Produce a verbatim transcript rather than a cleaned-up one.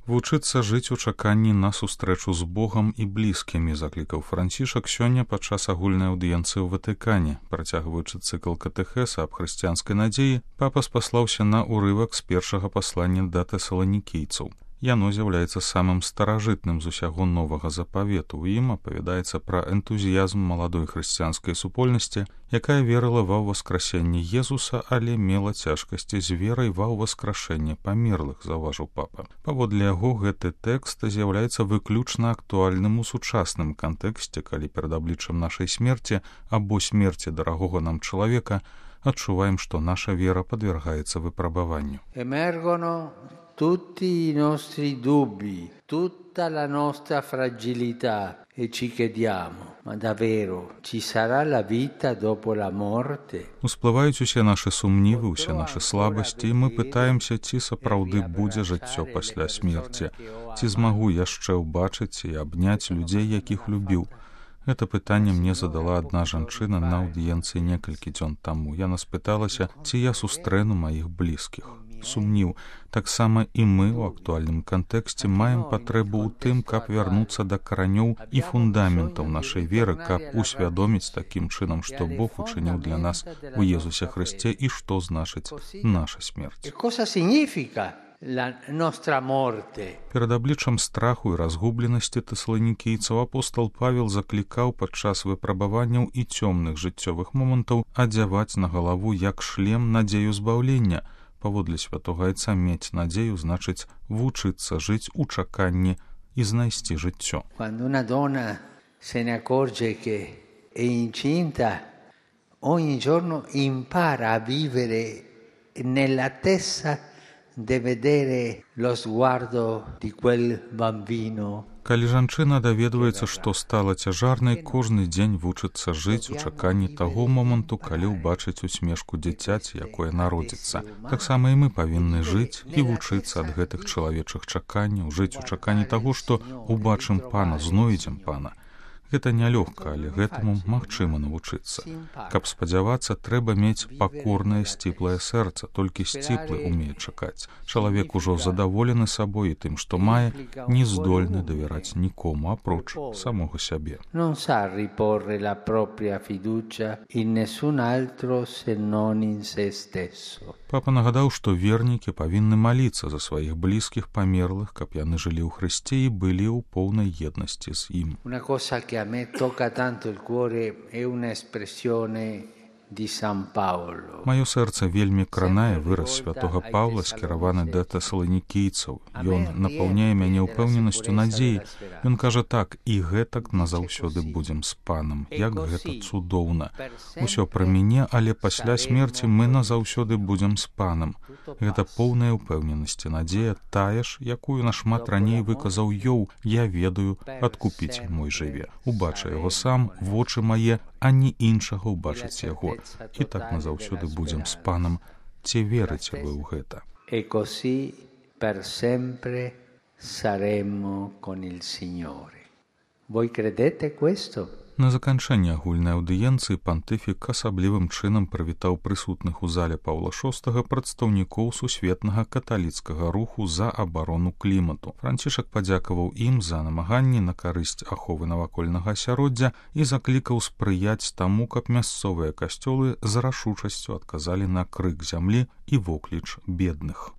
Вучыцца жыць у чаканні на сустрэчу з Богам і блізкімі, заклікаў Францішак сёння падчас агульнай аўдыенцыі ў Ватыкане. Працягваючы цыкл катэхеса аб хрысціянскай надзеі, папа спаслаўся на ўрывак з першага паслання да тэсаланікійцаў. Яно з'яўляецца самым старажытным з усяго новага запавету. У ім апавядаецца пра энтузіязм маладой хрысціянскай супольнасці, якая верыла ва ўваскрасенне Езуса, але мела цяжкасці з верай ва ўваскрашэнне памерлых, заўважыў папа. Паводле яго, гэты тэкст з'яўляецца выключна актуальным у сучасным кантэксце, калі перад абліччам нашай смерці або смерці дарагога нам чалавека адчуваем, што наша вера падвяргаецца выпрабаванню. Tutti i nostri dubbi, tutta la nostra fragilità e ci chiediamo, ma davvero ci sarà la vita dopo la morte? Усплываюць усе нашы сумнівы, усе нашы слабасці, і мы пытаемся, ці сапраўды будзе жыццё пасля смерці, ці змагу яшчэ ўбачыць і абняць людзей, якіх любіў. Гэта пытанне мне задала адна жанчына на аўдыенцыі некалькі дзён таму. Яна спыталася, ці я сустрэну маіх блізкіх. Сумніў. Таксама і мы ў актуальным кантэксце маем патрэбу ў тым, каб вярнуцца да каранёў і фундаментаў нашай веры, каб усвядоміць такім чынам, што Бог учыніў для нас у Езусе Хрысце і што значыць наша смерць. Перад абліччам страху і разгубленасці тэсаланікійцаў апостал Павел заклікаў падчас выпрабаванняў і цёмных жыццёвых момантаў адзяваць на галаву як шлем надзею збаўлення. Паводле святога Айца мець надзею значыць вучыцца жыць у чаканні і знайсці жыццё. Quando una donna se ne accorge che è incinta, ogni giorno impara a vivere nell'attesa di vedere lo sguardo di quel bambino. Калі жанчына даведваецца, што стала цяжарнай, кожны дзень вучыцца жыць у чаканні таго моманту, калі ўбачыць усмешку дзіцяці, якое народзіцца. Таксама і мы павінны жыць і вучыцца ад гэтых чалавечых чаканняў, жыць у чаканні таго, што ўбачым Пана, знойдзем Пана. Гэта нялёгка, але гэтаму магчыма навучыцца. Каб спадзявацца, трэба мець пакорнае сціплае сэрца, толькі сціплы умее чакаць. Чалавек ужо задаволены сабой і тым, што мае, не здольны давяраць нікому, апроч самога сябе. Non sa riporre la propria fiducia in nessun altro se non in se stesso. Папа нагадаў, што вернікі павінны маліцца за сваіх блізкіх памерлых, каб яны жылі ў Хрысце і былі ў поўнай еднасці з ім. Una cosa che a me tocca tanto il cuore è un'espressione di San Paolo. Маё сэрца вельмі кранае выраз святога Паўла, скіраваны да тэсаланікійцаў. Ён напаўняе мяне ўпэўненасцю надзеі. Ён кажа так: і гэтак назаўсёды будзем з Панам. Як гэта цудоўна. Усё пра мяне, але пасля смерці мы назаўсёды будзем з Панам. Гэта поўная ўпэўненасць і надзея, тая ж, якую нашмат раней выказаў Ёў: я ведаю, адкупіць мой жыве. Убача яго сам, вочы мае, а не іншага ўбачыць яго. І так назаўсёды будзем з Панам. Ці верыце вы ў гэта? E così per sempre saremo con il Signore. Voi credete questo? На заканчэнне агульнай аўдыенцыі пантыфік асаблівым чынам прывітаў прысутных у зале Паўла шостага прадстаўнікоў сусветнага каталіцкага руху за абарону клімату. Францішак падзякаваў ім за намаганні на карысць аховы навакольнага асяроддзя і заклікаў спрыяць таму, каб мясцовыя касцёлы з рашучасцю адказалі на крык зямлі і вокліч бедных.